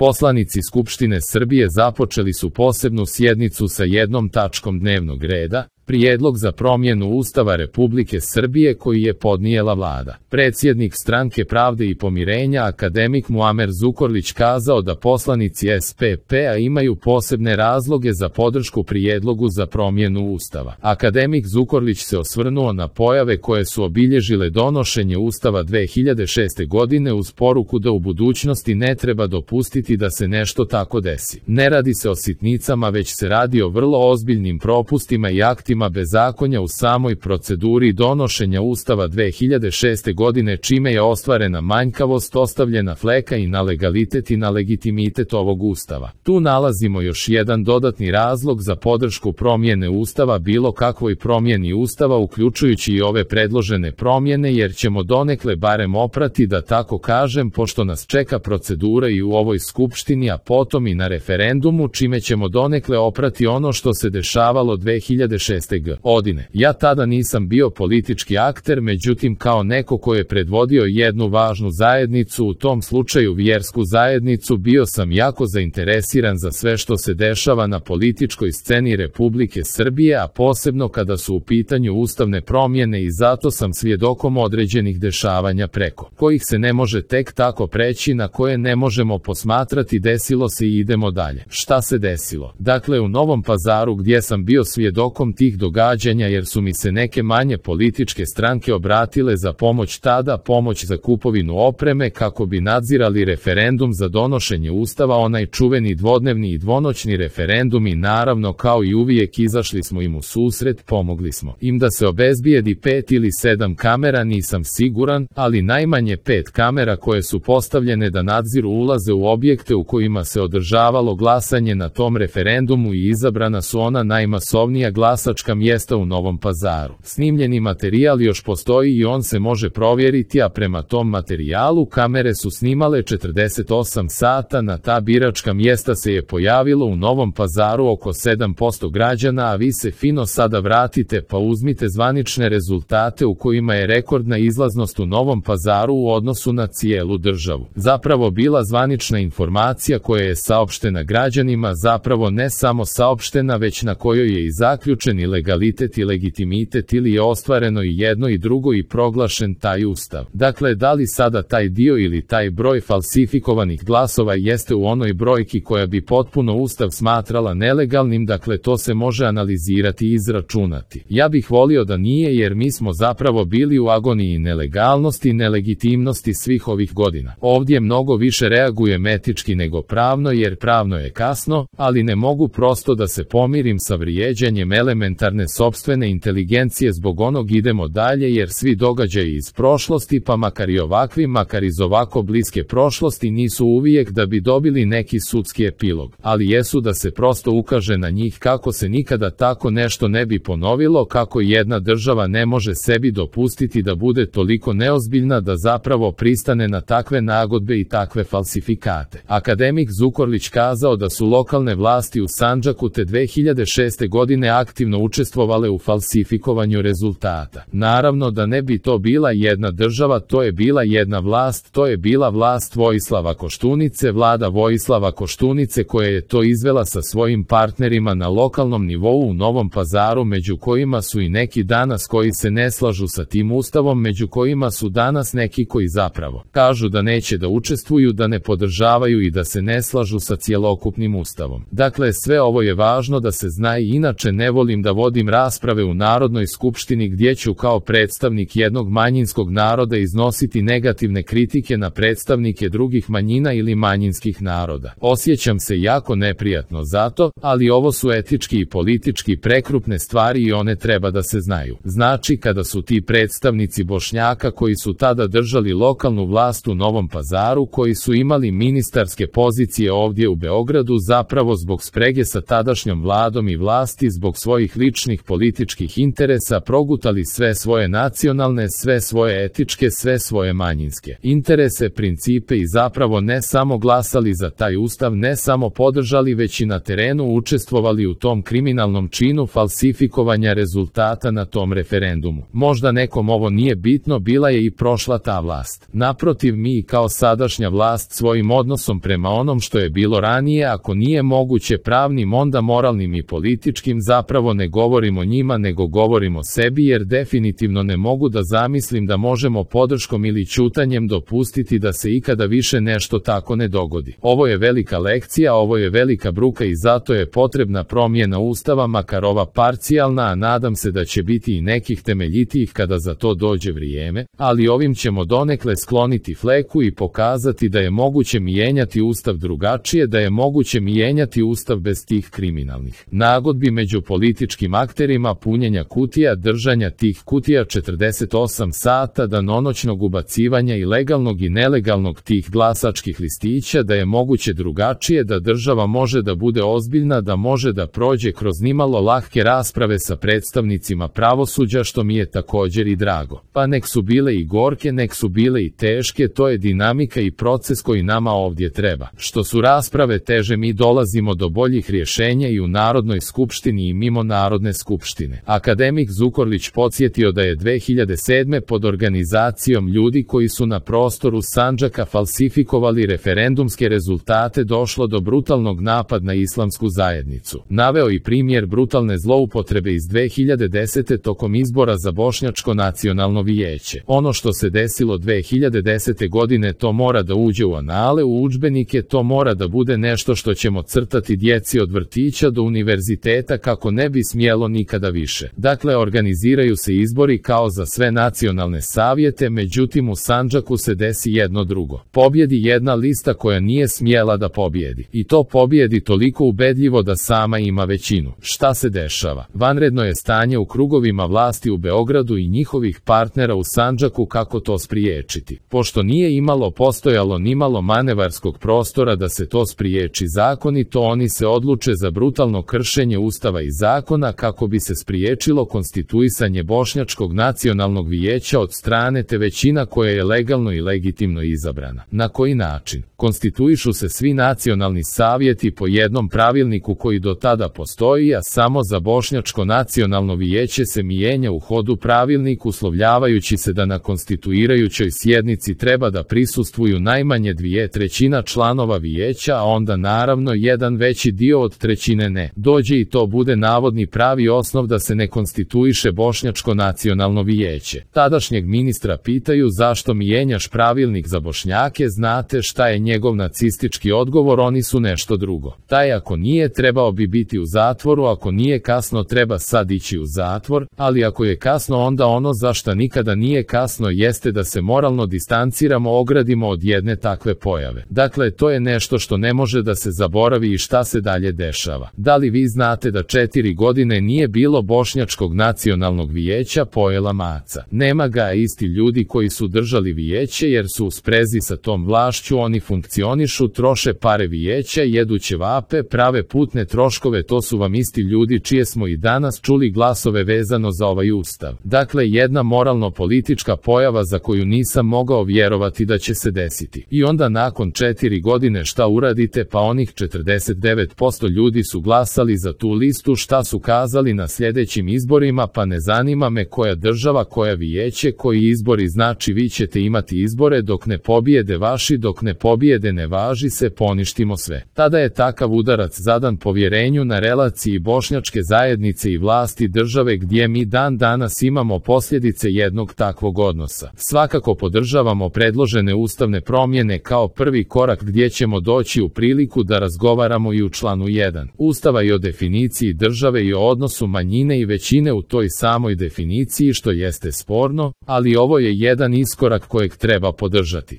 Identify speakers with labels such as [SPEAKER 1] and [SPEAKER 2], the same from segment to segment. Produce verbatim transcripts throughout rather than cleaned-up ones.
[SPEAKER 1] Poslanici Skupštine Srbije započeli su posebnu sjednicu sa jednom tačkom dnevnog reda, prijedlog za promjenu Ustava Republike Srbije koji je podnijela vlada. Predsjednik Stranke pravde i pomirenja akademik Muamer Zukorlić kazao da poslanici S P P-a imaju posebne razloge za podršku prijedlogu za promjenu Ustava. Akademik Zukorlić se osvrnuo na pojave koje su obilježile donošenje Ustava dve hiljade šeste. godine uz poruku da u budućnosti ne treba dopustiti da se nešto tako desi. Ne radi se o sitnicama, već se radi o vrlo ozbiljnim propustima i aktima bezakonja u samoj proceduri donošenja Ustava dve hiljade šeste. godine, čime je ostvarena manjkavost, ostavljena fleka i na legalitet i na legitimitet ovog Ustava. Tu nalazimo još jedan dodatni razlog za podršku promjene Ustava, bilo kakvoj promjeni Ustava, uključujući i ove predložene promjene, jer ćemo donekle barem oprati, da tako kažem, pošto nas čeka procedura i u ovoj Skupštini, a potom i na referendumu, čime ćemo donekle oprati ono što se dešavalo dve hiljade šeste. godine. Ja tada nisam bio politički akter, međutim kao neko ko je predvodio jednu važnu zajednicu, u tom slučaju vjersku zajednicu, bio sam jako zainteresiran za sve što se dešava na političkoj sceni Republike Srbije, a posebno kada su u pitanju ustavne promjene, i zato sam svjedokom određenih dešavanja preko kojih se ne može tek tako preći, na koje ne možemo posmatrati desilo se i idemo dalje. Šta se desilo? Dakle, u Novom Pazaru, gdje sam bio svjedokom tih događanja, jer su mi se neke manje političke stranke obratile za pomoć tada, pomoć za kupovinu opreme kako bi nadzirali referendum za donošenje Ustava, onaj čuveni dvodnevni i dvonoćni referendum, i naravno kao i uvijek izašli smo im u susret, pomogli smo im da se obezbijedi pet ili sedam kamera, nisam siguran, ali najmanje pet kamera koje su postavljene da nadziru ulaze u objekte u kojima se održavalo glasanje na tom referendumu, i izabrana su ona najmasovnija glasačka mjesta u Novom Pazaru. Snimljeni materijal još postoji i on se može provjeriti, a prema tom materijalu kamere su snimale četrdeset osam sata. Na ta biračka mjesta se je pojavilo u Novom Pazaru oko sedam posto građana, a vi se fino sada vratite pa uzmite zvanične rezultate u kojima je rekordna izlaznost u Novom Pazaru u odnosu na cijelu državu. Zapravo bila zvanična informacija koja je saopštena građanima, zapravo ne samo saopštena, već na kojoj je i zaključen i legalitet i legitimitet, ili je ostvareno i jedno i drugo i proglašen taj Ustav. Dakle, da li sada taj dio ili taj broj falsifikovanih glasova jeste u onoj brojki koja bi potpuno Ustav smatrala nelegalnim, dakle to se može analizirati i izračunati. Ja bih volio da nije, jer mi smo zapravo bili u agoniji nelegalnosti i nelegitimnosti svih ovih godina. Ovdje mnogo više reagujem etički nego pravno, jer pravno je kasno, ali ne mogu prosto da se pomirim sa vrijeđanjem elementarne sopstvene inteligencije zbog onog idemo dalje, jer svi događaji iz prošlosti, pa makar i ovakvi, makar iz ovako bliske prošlosti, nisu uvijek da bi dobili neki sudski epilog, ali jesu da se prosto ukaže na njih kako se nikada tako nešto ne bi ponovilo, kako jedna država ne može sebi dopustiti da bude toliko neozbiljna da zapravo pristane na takve nagodbe i takve falsifikate. Akademik Zukorlić kazao da su lokalne vlasti u Sandžaku te dve hiljade šeste. godine aktivno učestvovale u falsifikovanju rezultata. Naravno da ne bi to bila jedna država, to je bila jedna vlast, to je bila vlast Vojislava Koštunice, vlada Vojislava Koštunice koja je to izvela sa svojim partnerima na lokalnom nivou u Novom Pazaru, među kojima su i neki danas koji se ne slažu sa tim Ustavom, među kojima su danas neki koji zapravo kažu da neće da učestvuju, da ne podržavaju i da se ne slažu sa cjelokupnim Ustavom. Dakle, sve ovo je važno da se zna, i inače ne volim da vodim rasprave u Narodnoj skupštini gdje ću kao predstavnik jednog manjinskog naroda iznositi negativne kritike na predstavnike drugih manjina ili manjinskih naroda. Osjećam se jako neprijatno zato, ali ovo su etički i politički prekrupne stvari i one treba da se znaju. Znači, kada su ti predstavnici Bošnjaka koji su tada držali lokalnu vlast u Novom Pazaru, koji su imali ministarske pozicije ovdje u Beogradu, zapravo zbog sprege sa tadašnjom vladom i vlasti, zbog svojih ličnih ličnih političkih interesa progutali sve svoje nacionalne, sve svoje etičke, sve svoje manjinske interese, principe i zapravo ne samo glasali za taj ustav, ne samo podržali, već i na terenu učestvovali u tom kriminalnom činu falsifikovanja rezultata na tom referendumu. Možda nekom ovo nije bitno, bila je i prošla ta vlast. Naprotiv, mi kao sadašnja vlast svojim odnosom prema onom što je bilo ranije, ako nije moguće pravnim, onda moralnim i političkim, zapravo ne govorimo njima nego govorimo sebi, jer definitivno ne mogu da zamislim da možemo podrškom ili ćutanjem dopustiti da se ikada više nešto tako ne dogodi. Ovo je velika lekcija, ovo je velika bruka i zato je potrebna promjena ustava, makar ova parcijalna, a nadam se da će biti i nekih temeljitijih kada za to dođe vrijeme, ali ovim ćemo donekle skloniti fleku i pokazati da je moguće mijenjati ustav drugačije, da je moguće mijenjati ustav bez tih kriminalnih nagodbi među političkim akterima, punjenja kutija, držanja tih kutija četrdeset osam sata, danonoćnog ubacivanja i legalnog i nelegalnog tih glasačkih listića, da je moguće drugačije, da država može da bude ozbiljna, da može da prođe kroz nimalo lahke rasprave sa predstavnicima pravosuđa, što mi je također i drago. Pa nek su bile i gorke, nek su bile i teške, to je dinamika i proces koji nama ovdje treba. Što su rasprave teže, mi dolazimo do boljih rješenja i u Narodnoj skupštini i mimo Narodne skupštine. Akademik Zukorlić podsjetio da je dve hiljade sedme pod organizacijom ljudi koji su na prostoru Sandžaka falsifikovali referendumske rezultate došlo do brutalnog napada na islamsku zajednicu. Naveo i primjer brutalne zloupotrebe iz dve hiljade desete tokom izbora za Bošnjačko nacionalno vijeće. Ono što se desilo dve hiljade desete godine, to mora da uđe u anale, u udžbenike, to mora da bude nešto što ćemo crtati djeci od vrtića do univerziteta kako ne bi smjelo nikada više. Dakle, organiziraju se izbori kao za sve nacionalne savjete, međutim u Sandžaku se desi jedno drugo. Pobjedi jedna lista koja nije smjela da pobjedi. I to pobjedi toliko ubedljivo da sama ima većinu. Šta se dešava? Vanredno je stanje u krugovima vlasti u Beogradu i njihovih partnera u Sandžaku. Kako to spriječiti? Pošto nije imalo postojalo nimalo manevarskog prostora da se to spriječi zakonito, oni se odluče za brutalno kršenje ustava i zakona kako bi se spriječilo konstituisanje Bošnjačkog nacionalnog vijeća od strane te većina koja je legalno i legitimno izabrana. Na koji način? Konstituišu se svi nacionalni savjeti po jednom pravilniku koji do tada postoji, a samo za Bošnjačko nacionalno vijeće se mijenja u hodu pravilnik, uslovljavajući se da na konstituirajućoj sjednici treba da prisustvuju najmanje dvije trećina članova vijeća, a onda naravno jedan veći dio od trećine ne. Dođe i to bude navodni pravi osnov da se ne konstituiše Bošnjačko nacionalno vijeće. Tadašnjeg ministra pitaju zašto mijenjaš pravilnik za Bošnjake, znate šta je njegov nacistički odgovor, oni su nešto drugo. Taj ako nije trebao bi biti u zatvoru, ako nije kasno treba sad ići u zatvor, ali ako je kasno onda ono za šta nikada nije kasno jeste da se moralno distanciramo, ogradimo od jedne takve pojave. Dakle, to je nešto što ne može da se zaboravi. I šta se dalje dešava? Da li vi znate da četiri godine nije bilo Bošnjačkog nacionalnog vijeća? Pojela maca. Nema ga, isti ljudi koji su držali vijeće jer su u sprezi sa tom vlašću, oni funkcionišu, troše pare vijeća, jedu ćevape, prave putne troškove, to su vam isti ljudi čije smo i danas čuli glasove vezano za ovaj ustav. Dakle, jedna moralno-politička pojava za koju nisam mogao vjerovati da će se desiti. I onda nakon četiri godine šta uradite? Pa onih četrdeset devet posto ljudi su glasali za tu listu, šta su kazali na sljedećim izborima? Pa ne zanima me koja država, koja vijeće, koji izbori, znači vi ćete imati izbore dok ne pobijede vaši, dok ne pobijede ne važi se, poništimo sve. Tada je takav udarac zadan povjerenju na relaciji bošnjačke zajednice i vlasti države, gdje mi dan danas imamo posljedice jednog takvog odnosa. Svakako podržavamo predložene ustavne promjene kao prvi korak gdje ćemo doći u priliku da razgovaramo i u članu jedan Ustava i o definiciji države i o odnosu manjine i većine u toj samoj definiciji, što jeste sporno, ali ovo je jedan iskorak kojeg treba podržati.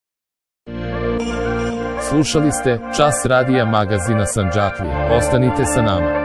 [SPEAKER 1] Slušali ste Čas radija magazina Sandžaklije. Ostanite sa nama.